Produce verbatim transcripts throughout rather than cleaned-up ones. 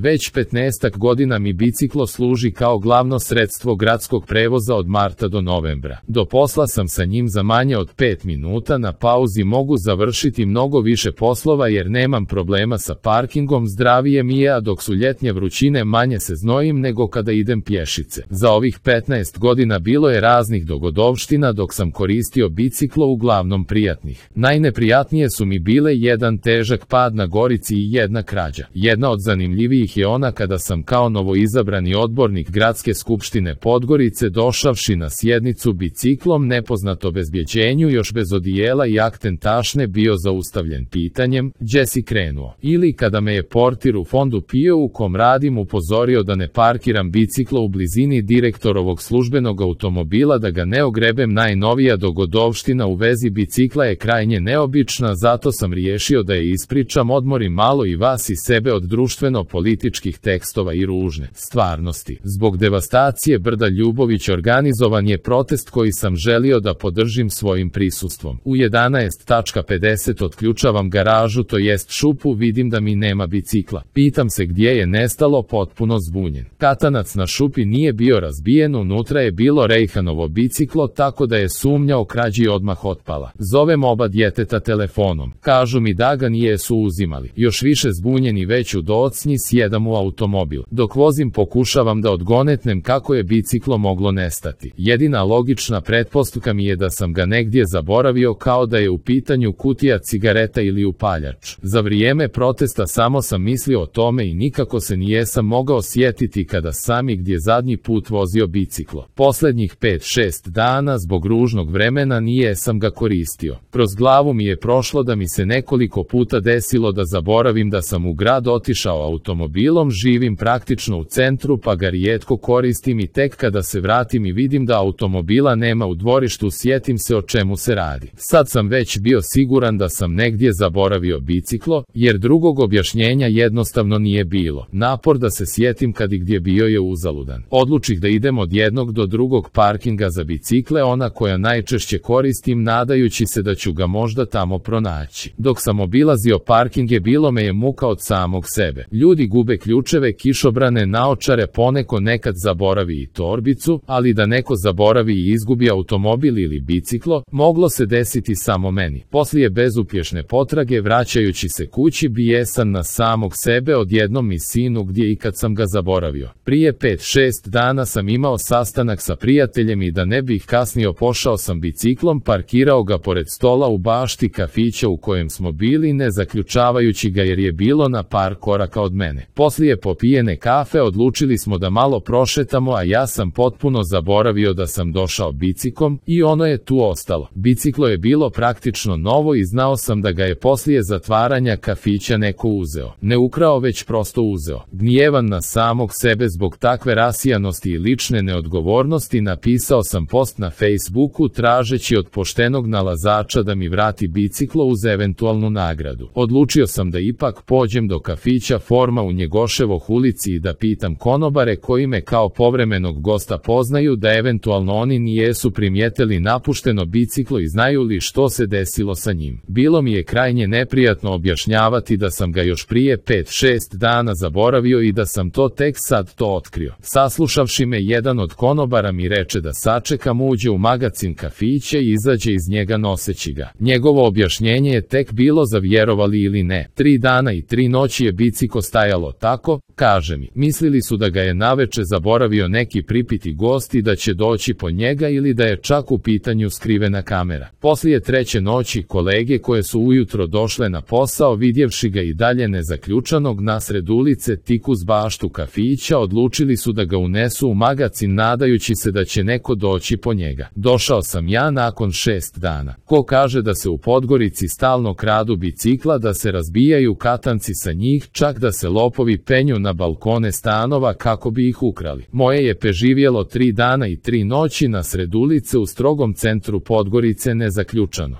Već petnaestak godina mi biciklo služi kao glavno sredstvo gradskog prevoza od marta do novembra. Do posla sam sa njim za manje od pet minuta, na pauzi mogu završiti mnogo više poslova jer nemam problema sa parkingom, zdravije mi je, a dok su ljetnje vrućine manje se znojim nego kada idem pješice. Za ovih petnaest godina bilo je raznih dogodovština dok sam koristio biciklo, uglavnom prijatnih. Najneprijatnije su mi bile jedan težak pad na Gorici i jedna krađa. Jedna od zanimljivijih je ona kada sam kao novoizabrani odbornik Gradske skupštine Podgorice došavši na sjednicu biciklom nepoznato bezbjeđenju, još bez odijela i akten tašne, bio zaustavljen pitanjem gdje si krenuo. Ili kada me je portir u fondu PIO u kom radim upozorio da ne parkiram biciklo u blizini direktorovog službenog automobila da ga ne ogrebem. Najnovija dogodovština u vezi bicikla je krajnje neobična, zato sam riješio da je ispričam, odmorim malo i vas i sebe od društveno-političkih tekstova i ružne stvarnosti. Zbog devastacije brda Ljubović organizovan je protest koji sam želio da podržim svojim prisustvom. U jedanaest pedeset otključavam garažu, to jest šupu, vidim da mi nema bicikla. Pitam se gdje je nestalo, potpuno zbunjen. Katanac na šupi nije bio razbijen, unutra je bilo Rejhanovo biciklo, tako da je sumnja o krađi odmah otpala. Zovem oba djeteta telefonom. Kažu mi da ga nijesu uzimali. Još više zbunjeni već u docnji sjedam u automobil. Dok vozim pokušavam da odgonetnem kako je biciklo moglo nestati. Jedina logična pretpostavka mi je da sam ga negdje zaboravio, kao da je u pitanju kutija cigareta ili upaljač. Za vrijeme protesta samo sam mislio o tome i nikako se nijesam mogao sjetiti kada sam i gdje zadnji put vozio biciklo. Posljednjih pet šest dana zbog ružnog vremena nijesam ga koristio. Kroz glavu mi je prošlo da mi se nekoliko puta desilo da zaboravim da sam u grad otišao automobilom, živim praktično u centru pa ga rijetko koristim i tek kada se vratim i vidim da automobila nema u dvorištu sjetim se o čemu se radi. Sad sam već bio siguran da sam negdje zaboravio biciklo, jer drugog objašnjenja jednostavno nije bilo. Napor da se sjetim kad i gdje bio je uzaludan. Odlučih da idem od jednog do drugog parkinga za bicikle, ona koja najčešće koristim, nadajući se da ću ga možda tamo pronaći. Dok sam obilazio parkinge bilo me je muka od samog sebe. Ljudi gube ključeve, kišobrane, naočare, poneko nekad zaboravi i torbicu, ali da neko zaboravi i izgubi automobil ili biciklo, moglo se desiti samo meni. Poslije bezuspješne potrage vraćajući se kući bijesan na samog sebe odjednom mi sinu gdje i kad sam ga zaboravio. Prije pet šest dana sam imao sastanak sa prijateljem i da ne bih kasnio pošao sam biciklom, parkirao ga pored stola u bašti kafića u kojem smo bili, ne zaključavajući ga jer je bilo na par koraka od mene. Poslije popijene kafe odlučili smo da malo prošetamo, a ja sam potpuno zaboravio da sam došao biciklom i ono je tu ostalo. Biciklo je bilo praktično novo i znao sam da ga je poslije zatvaranja kafića neko uzeo. Ne ukrao, već prosto uzeo. Gnjevan na samog sebe zbog takve rasijanosti i lične neodgovornosti napisao sam post na Facebooku tražeći od poštenog nalazača da mi vrati biciklo uz eventualnu nagradu. Odlučio sam da ipak pođem do kafića Forma u Njegoševoj ulici i da pitam konobare koji me kao povremenog gosta poznaju da eventualno oni nijesu primijetili napušteno biciklo i znaju li što se desilo sa njim. Bilo mi je krajnje neprijatno objašnjavati da sam ga još prije pet šest dana zaboravio i da sam to tek sad to otkrio. Saslušavši me, jedan od konobara mi reče da sačekam, uđe u magacin kafića i izađe iz njega noseći ga. Njegovo objašnjenje je tek bilo za vjerovali ili ne. Tri dana i tri noći je biciklo stajalo tako, kaže mi. Mislili su da ga je naveče zaboravio neki pripiti gost i da će doći po njega ili da je čak u pitanju skrivena kamera. Poslije treće noći kolege koje su ujutro došle na posao vidjevši ga i dalje nezaključanog nasred ulice tik uz baštu kafića odlučili su da ga unesu u magacin nadajući se da će neko doći po njega. Došao sam ja nakon šest dana. Ko kaže da se u Podgorici stalno kradu bicikla, da se razbijaju katanci sa njih, čak da se lopovi penju na balkone stanova kako bi ih ukrali. Moje je preživjelo tri dana i tri noći nasred ulice u strogom centru Podgorice nezaključano.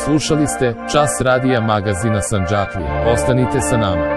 Slušali ste Čas radija magazina Sandžaklije. Ostanite sa nama.